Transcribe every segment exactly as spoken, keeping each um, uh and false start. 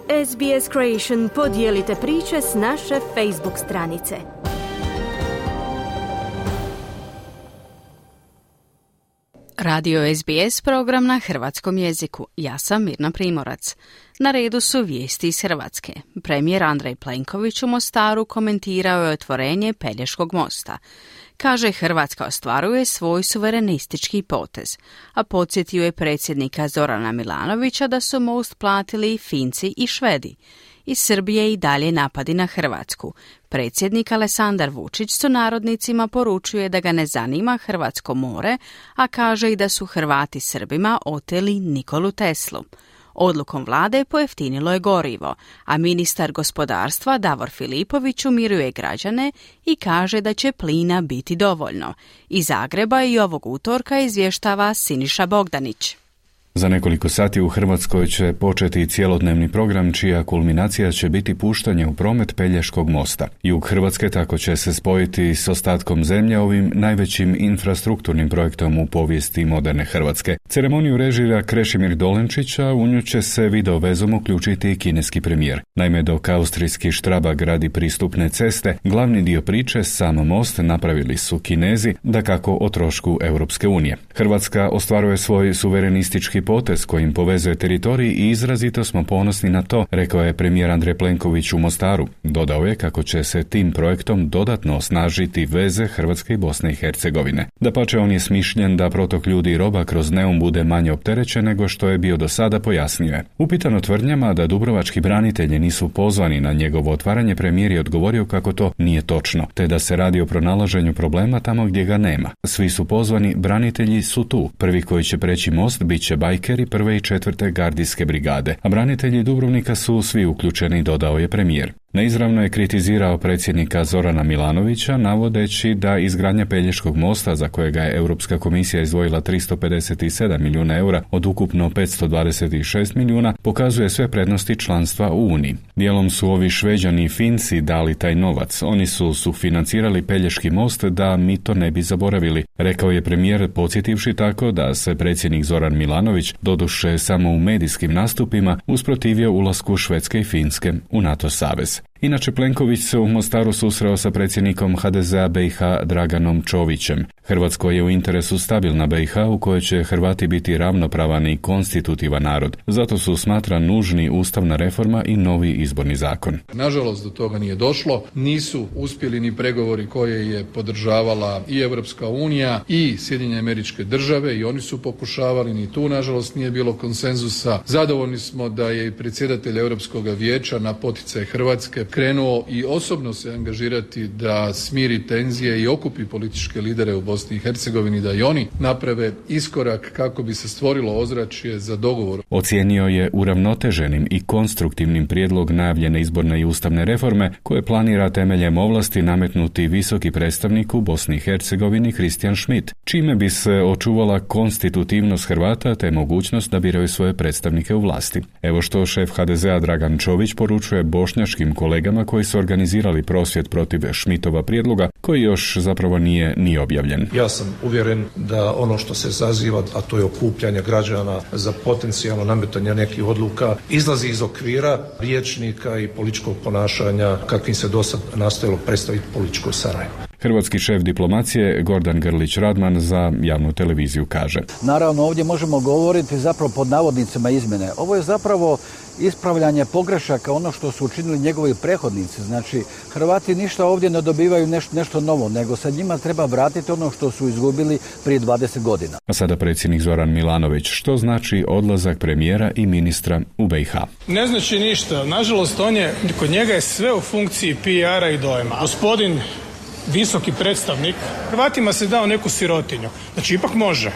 S B S Creation podijelite priče s naše Facebook stranice. Radio S B S program na hrvatskom jeziku. Ja sam Mirna Primorac. Na redu su vijesti iz Hrvatske. Premijer Andrej Plenković u Mostaru komentirao je otvorenje Pelješkog mosta. Kaže, Hrvatska ostvaruje svoj suverenistički potez, a podsjetio je predsjednika Zorana Milanovića da su most platili i Finci i Švedi. Iz Srbije i dalje napadi na Hrvatsku. Predsjednik Aleksandar Vučić sunarodnicima poručuje da ga ne zanima hrvatsko more, a kaže i da su Hrvati Srbima oteli Nikolu Teslu. Odlukom vlade pojeftinilo je gorivo, a ministar gospodarstva Davor Filipović umiruje građane i kaže da će plina biti dovoljno. Iz Zagreba i ovog utorka izvještava Siniša Bogdanić. Za nekoliko sati u Hrvatskoj će početi cjelodnevni program čija kulminacija će biti puštanje u promet Pelješkog mosta. Jug Hrvatske tako će se spojiti s ostatkom zemlje ovim najvećim infrastrukturnim projektom u povijesti moderne Hrvatske. Ceremoniju režira Krešimir Dolenčić, a u nju će se video vezom uključiti i kineski premijer. Naime, dok austrijski Štraba gradi pristupne ceste, glavni dio priče, sam most, napravili su Kinezi, dakako o trošku Europske unije. Hrvatska ostvaruje svoj suverenistički potez kojim povezuje teritorij i izrazito smo ponosni na to, rekao je premijer Andrej Plenković u Mostaru. Dodao je kako će se tim projektom dodatno osnažiti veze Hrvatske i Bosne i Hercegovine. Dapače, on je smišljen da protok ljudi i roba kroz Neum bude manje opterećen nego što je bio do sada, pojasnio je. Upitano tvrdnjama da dubrovački branitelji nisu pozvani na njegovo otvaranje, premijer je odgovorio kako to nije točno, te da se radi o pronalaženju problema tamo gdje ga nema. Svi su pozvani, branitelji su tu. Prvi koji će preći most bit će bajkeri prve i četvrte gardijske brigade, a branitelji Dubrovnika su svi uključeni, dodao je premijer. Neizravno je kritizirao predsjednika Zorana Milanovića, navodeći da izgradnja Pelješkog mosta, za kojega je Europska komisija izdvojila tristo pedeset sedam milijuna eura od ukupno petsto dvadeset šest milijuna, pokazuje sve prednosti članstva u Uniji. Dijelom su ovi Šveđani i Finci dali taj novac. Oni su sufinancirali Pelješki most da mi to ne bi zaboravili, rekao je premijer, podsjetivši tako da se predsjednik Zoran Milanović, doduše samo u medijskim nastupima, usprotivio ulasku Švedske i Finske u NATO savez. Inače, Plenković se u Mostaru susreo sa predsjednikom H D Z A B i H Draganom Čovićem. Hrvatskoj je u interesu stabilna B i H u kojoj će Hrvati biti ravnopravan i konstitutivan narod. Zato su smatra nužni ustavna reforma i novi izborni zakon. Nažalost, do toga nije došlo. Nisu uspjeli ni pregovori koje je podržavala i Europska unija i Sjedinjene Američke Države, i oni su pokušavali, ni tu nažalost nije bilo konsenzusa. Zadovoljni smo da je i predsjedatelj Europskog vijeća na poticaj Hrvatske krenuo i osobno se angažirati da smiri tenzije i okupi političke lidere u Bosni i Hercegovini, da i oni naprave iskorak kako bi se stvorilo ozračje za dogovor. Ocijenio je uravnoteženim i konstruktivnim prijedlog najavljene izborne i ustavne reforme koje planira temeljem ovlasti nametnuti visoki predstavnik u Bosni i Hercegovini Christian Schmidt, čime bi se očuvala konstitutivnost Hrvata te mogućnost da biraju svoje predstavnike u vlasti. Evo što šef H D Z A Dragan Čović poručuje bošnjačkim kolegama koji su organizirali prosvjed protiv Schmidtova prijedloga, koji još zapravo nije ni objavljen. Ja sam uvjeren da ono što se zaziva, a to je okupljanje građana za potencijalno nametanje nekih odluka, izlazi iz okvira rječnika i političkog ponašanja kakvim se dosad nastojalo predstaviti političko Sarajevo. Hrvatski šef diplomacije Gordan Grlić Radman za javnu televiziju kaže: Naravno, ovdje možemo govoriti zapravo pod navodnicima izmjene. Ovo je zapravo ispravljanje pogrešaka, ono što su učinili njegovi prethodnici. Znači, Hrvati ništa ovdje ne dobivaju nešto, nešto novo, nego se njima treba vratiti ono što su izgubili prije dvadeset godina. A sada predsjednik Zoran Milanović. Što znači odlazak premijera i ministra u B i H? Ne znači ništa. Nažalost, on je, kod njega je sve u funkciji P R-a i dojma. Gospodin visoki predstavnik Hrvatima se dao neku sirotinju. Znači, ipak može.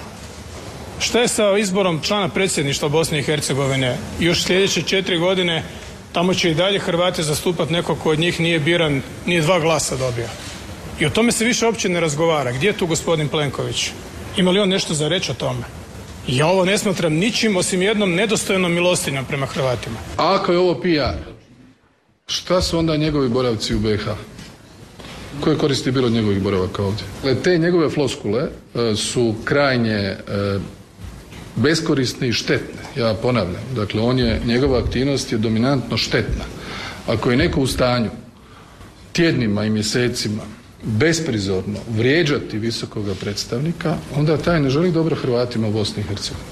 Šta je sa izborom člana predsjedništva Bosne i Hercegovine? Još sljedeće četiri godine tamo će i dalje Hrvati zastupati neko ko od njih nije biran, nije dva glasa dobio. I o tome se više uopće ne razgovara. Gdje je tu gospodin Plenković? Ima li on nešto za reći o tome? Ja ovo ne smatram ničim osim jednom nedostojnom milostinjom prema Hrvatima. A ako je ovo P R, šta su onda njegovi boravci u B i H? Koje koristi bilo od njegovih boravaka ovdje? Te njegove floskule su krajnje beskorisne i štetne. Ja ponavljam, dakle on je, njegova aktivnost je dominantno štetna. Ako je neko u stanju tjednima i mjesecima besprizorno vrijeđati visokoga predstavnika, onda taj ne želi dobro Hrvatima u Bosni i Hercegovini.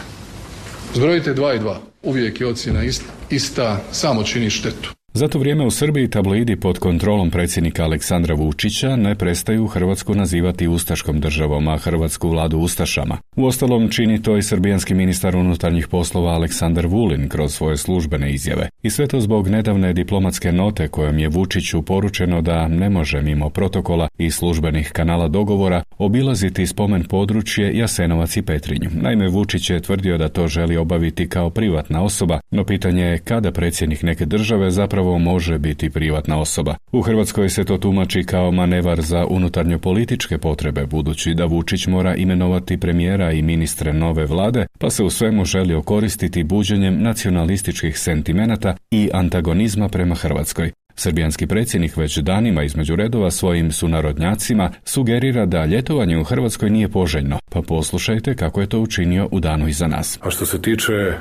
Zbrojite dva i dva. Uvijek je ocjena ista, ista samo čini štetu. Za to vrijeme u Srbiji tabloidi pod kontrolom predsjednika Aleksandra Vučića ne prestaju Hrvatsku nazivati ustaškom državom, a hrvatsku vladu ustašama. Uostalom čini to i srbijanski ministar unutarnjih poslova Aleksandar Vulin kroz svoje službene izjave. I sve to zbog nedavne diplomatske note kojom je Vučiću poručeno da ne može mimo protokola i službenih kanala dogovora obilaziti spomen područje Jasenovac i Petrinju. Naime, Vučić je tvrdio da to želi obaviti kao privatna osoba, no pitanje je kada predsjednik neke države zapravo može biti privatna osoba. U Hrvatskoj se to tumači kao manevar za unutarnjo političke potrebe, budući da Vučić mora imenovati premijera i ministre nove vlade, pa se u svemu želi okoristiti buđenjem nacionalističkih sentimenata i antagonizma prema Hrvatskoj. Srbijanski predsjednik već danima između redova svojim sunarodnjacima sugerira da ljetovanje u Hrvatskoj nije poželjno, pa poslušajte kako je to učinio u danu iza nas. A što se tiče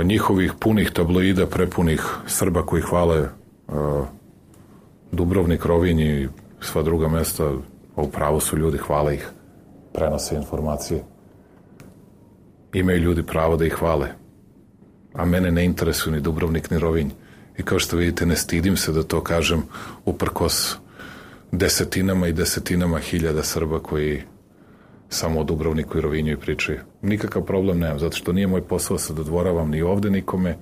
njihovih punih tabloida, prepunih Srba koji hvale uh, Dubrovnik, Rovinj i sva druga mjesta, u pravu su ljudi, hvale ih, prenose informacije. Imaju ljudi pravo da ih hvale, a mene ne interesuju ni Dubrovnik ni Rovinj. I kao što vidite, ne stidim se da to kažem uprkos desetinama i desetinama hiljada Srba koji samo o Dubrovniku i Rovinju i pričaju. Nikakav problem nemam, zato što nije moj posao se dodvoravam ni ovde nikome,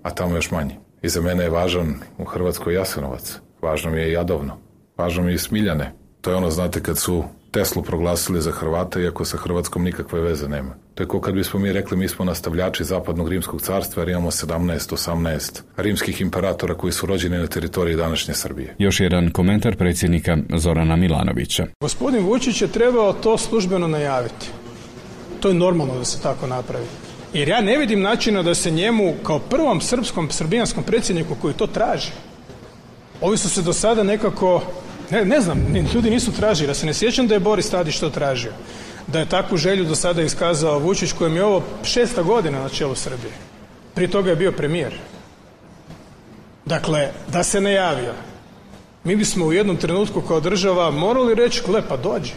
a tamo još manje. I za mene je važan u Hrvatskoj Jasenovac, važno mi je i Jadovno, važno mi je i Smiljane. To je ono, znate, kad su Teslu proglasili za Hrvata, iako sa Hrvatskom nikakve veze nema. To je kao kad bismo mi rekli mi smo nastavljači zapadnog rimskog carstva jer imamo sedamnaest osamnaest rimskih imperatora koji su rođeni na teritoriji današnje Srbije. Još jedan komentar predsjednika Zorana Milanovića. Gospodin Vučić je trebao to službeno najaviti. To je normalno da se tako napravi. Jer ja ne vidim načina da se njemu kao prvom srpskom, srbijanskom predsjedniku koji to traži. Ovi su se do sada nekako, ne, ne znam, ljudi nisu tražili. Ja se ne sjećam da je Boris Tadić to tražio. Da je takvu želju do sada iskazao Vučić kojem je ovo šesta godina na čelu Srbije. Prije toga je bio premijer. Dakle, da se najavio. Mi bismo u jednom trenutku kao država morali reći, gle, pa dođi.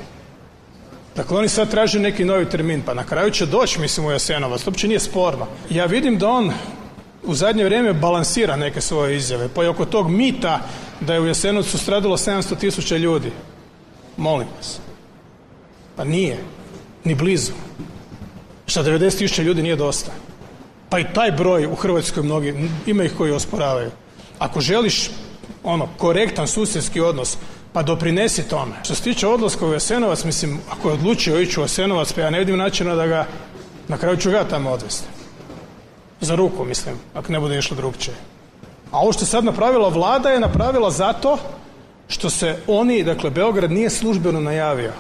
Dakle, oni sad traže neki novi termin, pa na kraju će doći, mislim, u Jasenovac. To uopće nije sporno. Ja vidim da on u zadnje vrijeme balansira neke svoje izjave, pa i oko tog mita da je u Jasenovcu stradalo sedamsto tisuća ljudi. Molim vas. Pa nije. Ni blizu. Šta, devedeset tisuća ljudi nije dosta? Pa i taj broj u Hrvatskoj mnogi, ima ih koji osporavaju. Ako želiš ono, korektan susjedski odnos, pa doprinesi tome. Što se tiče odlaska u Jasenovac, mislim, ako je odlučio ići u Jasenovac, pa ja ne vidim načina da ga, na kraju ću ga tamo odvesti. Za ruku, mislim, ako ne bude išlo drugčije. A ovo što je sad napravila vlada je napravila zato što se oni, dakle, Beograd nije službeno najavio.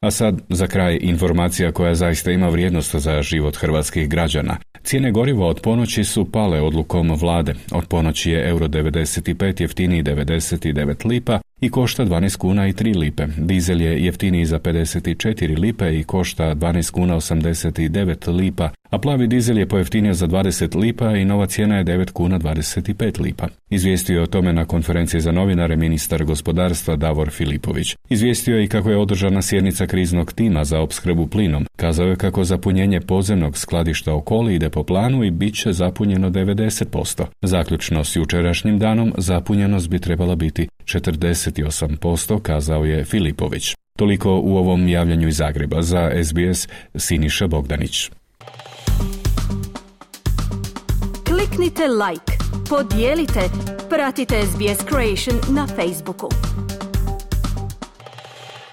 A sad, za kraj, informacija koja zaista ima vrijednost za život hrvatskih građana. Cijene goriva od ponoći su pale odlukom vlade. Od ponoći je euro devedeset pet jeftiniji devedeset devet lipa i košta dvanaest kuna i tri lipe. Dizel je jeftiniji za pedeset četiri lipe i košta dvanaest kuna osamdeset devet lipa, a plavi dizel je pojeftinio za dvadeset lipa i nova cijena je devet kuna dvadeset pet lipa. Izvijestio je o tome na konferenciji za novinare ministar gospodarstva Davor Filipović. Izvijestio je i kako je održana sjednica kriznog tima za opskrbu plinom. Kazao je kako zapunjenje podzemnog skladišta Okoli ide po planu i bit će zapunjeno devedeset posto. Zaključno s jučerašnjim danom zapunjenost bi trebala biti četrdeset osam posto, kazao je Filipović. Toliko u ovom javljanju iz Zagreba. Za S B S Siniša Bogdanić. Kliknite like, podijelite, pratite S B S Creation na Facebooku.